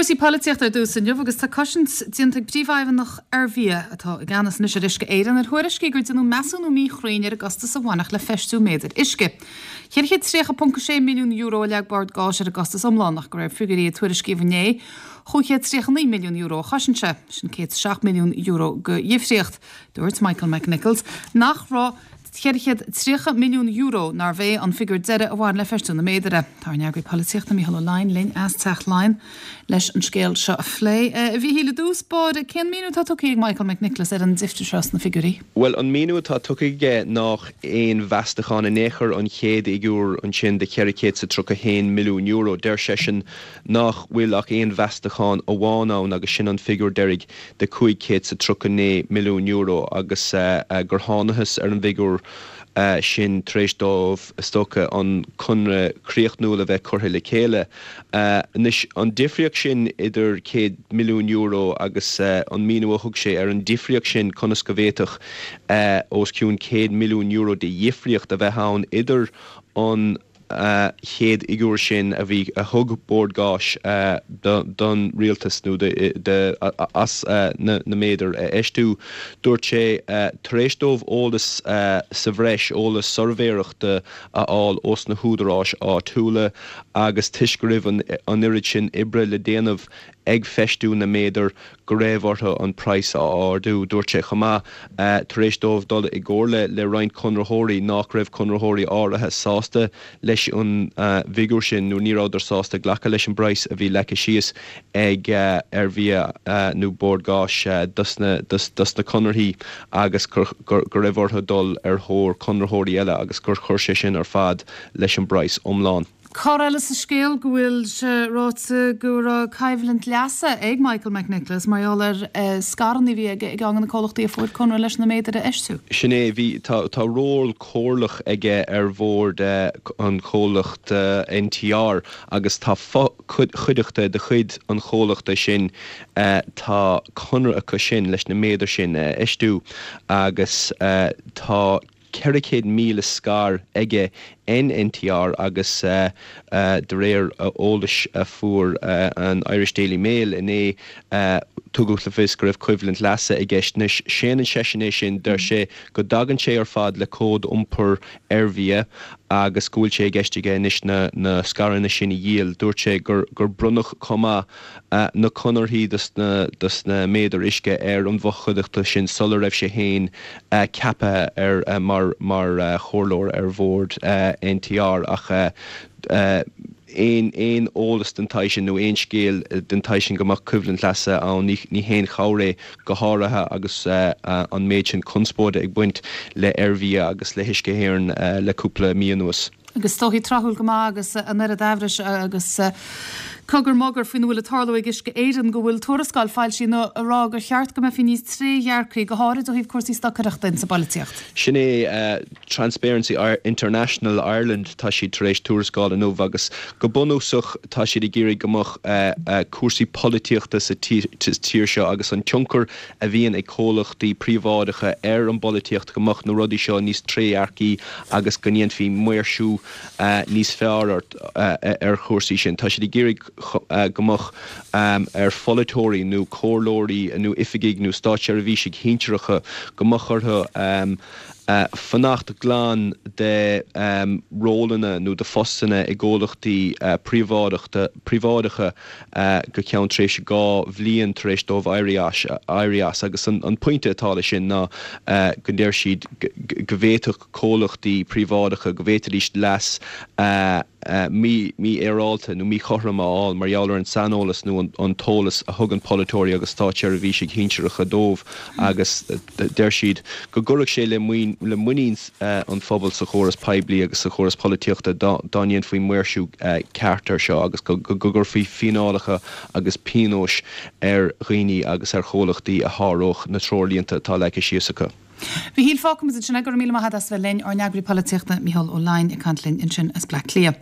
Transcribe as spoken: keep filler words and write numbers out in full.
Cúrsaí polaitíochta ar dtús inniu agus tá cosaint déanta ag príomhfheidhmeannach Ervia atá i gceannas anois ar Uisce Éireann ar thuairiscí gur déanadh measúnú míchruinn ar an gcostas a bhainfeadh le feistiú méadair uisce. Ceithre chéad tríocha ponc sé milliún euro a leag Bord Gáis ar an gcostas iomlán ach de réir figiúirí a tuairiscíodh inné, chúig chéad tríocha naoi milliún euro a chosain sé, sin céad seacht milliún euro de dhifríocht. Dúirt Michael McNichols nach raibh ceithre chéad tríocha milliún euro nárbh é an figiúr deiridh a bhain le feistiú na méadar. Tá ár n-eagraí polaitíochta Mícheál Ó Leidhin linn as Teach Laighean leis an scéal seo a phlé. A Mhíchíl i dtús báire, cén míniú atá tugtha ag Michael McNicholas ar an difríocht seo sna figiúirí? Bhuel, an míniú atá tugtha aige nach aon mheastachán in aon chor an chéad fhigiúr ansin de cheithre chéad is tríocha haon milliún euro. Deir seisean nach bhfuil ach aon mheastachán amháin ann agus sin an figiúr deiridh de cúig chéad is tríocha naoi milliún euro agus gur thángthas ar an bhfigiúr sin tar éis dóibh is dócha an conradh críochnúil a bheith curtha le chéile. Anois an difríocht sin idir céad milliún euro agus an míniú a thug sé ar an difríocht sin conas go bhféadfadh os cionn céad milliún euro de dhifríocht a bheith ann idir an chéad fhigiúr sin a bhí a thug Bord Gáis don rialtas nó de as na méadair a fheistiú. Dúirt sé tar éis dóibh eolas sa bhreis, eolas suirbhéireachta a fháil ós na húdaráis áitiúla agus toisc go raibh an oiread sin oibre le déanamh ag feistiú na méadar go raibh orthu an praghas a ardú. Dúirt sé chomh maith tar éis dóibh dul i gcomhairle le roinnt conraitheoirí nach raibh conraitheoirí áirithe sásta leis an bhfigiúr sin nó ní rabhadar sásta glacadh leis an bpraghas a bhí leagtha síos ag Ervia nó Bord Gáis dos na dos na conarthaí agus go raibh orthu dul ar thóir conraitheoirí eile agus gur chuir sé sin ar fad leis an bpraghas iomlán. Cor eile sa scéal go bhfuil sé ráite go raibh coimhlint leasa ag Michael McNicholas mar gheall ar scaireanna a bhí aige i gceann de na comhlachtaí a fuair conradh leis na méadair a fheistiú. Sin é, bhí, tá, tá ról comhairleach aige ar bhord an chomhlacht NTR agus tá fo-chuideachta de chuid an chomhlachta sin, tá conradh acu sin leis na méadair sin a fheistiú agus tá ceithre chéad míle scair aige in NTR agus de réir eolais a fuair an Irish Daily Mail inné tugadh le fios go raibh coimhlint leasa i gceist. Anois séanann seisean é sin, deir sé go dtagann sé ar fad le cód iompair Ervia agus go bhfuil sé i gceist aige anois na na scaireanna sin a dhíol. Dúirt sé gur gur bronnadh chomh maith na conarthaí dos na dos na méadair uisce ar an bhfochuideachta sin sula raibh sé féin ceaptha ar mar mar chomhairleoir ar bhord NTR ach aon aon eolas den tsaghas sin nó aon scéal den tsaghas sin go mbeadh coimhlint leasa ann ní ní haon chabhair é go háirithe agus an méid sin conspóide ag baint le Ervia agus le hUisce Éireann le cúpla mí anuas. Agus is dóichí tráthúil go maith agus an oiread amhrais agus cogar mogar faoina bhfuil ag tarlú ag Uisce Éireann go bhfuil tuarascáil foilsithe inniu ag rá gur cheart go mbeifí níos trédhearcaí, go háirid ó thaobh cúrsaí stocaireachta insa bpolaitíocht. Sin é Transparency International Ireland, tá siad tar éis tuarascáil inniu agus go bunúsach tá siad ag iarraidh go mbeadh cúrsaí polaitíochta sa tír seo agus an tionchar a bhíonn ag comhlachtaí príobháideacha ar an bpolaitíocht go mbeadh na rudaí seo níos trédhearcaí agus go ndéanfaí maoirsiú níos fearr ar chúrsaí sin. Tá siad ag iarraidh go mbeadh ar pholaiteoirí nó comhairleoirí nó oifigigh nó státseirbhísigh shinsearacha go mbeadh orthu fanacht glan de rólanna nó de phostanna i gcomhlachtaí príobháideacha go ceann tréimhse dhá bhliain tar éis dóibh éirí as agus an pointe atá leis sin ná go ndeir siad go bhféadfadh comhlachtaí príobháideacha go bhféadfaidís leas mífhéaráilte nó míchothrom a fháil mar gheall ar an saineolas nó an t-eolas a thugann polaiteoirí agus státseirbhísigh shinsearacha dóibh agus deir siad go gcuirfeadh sé le muinín an phobail sa chóras poiblí agus sa chóras polaitíochta dá ndéanfaí maoirsiú ceart air seo agus go gcuirfí fíneálacha agus pionóis ar dhaoine agus ar chomhlachtaí a sháródh na treoirlínte atá leagtha síos acu. Mhíchíl, fágfaimid ansin é. Go raibh míle maith agat as bheith linn, ár n-eagraí polaitíochta Mícheál Ó Leidhin ag caint linn ansin as Bleá Cliath.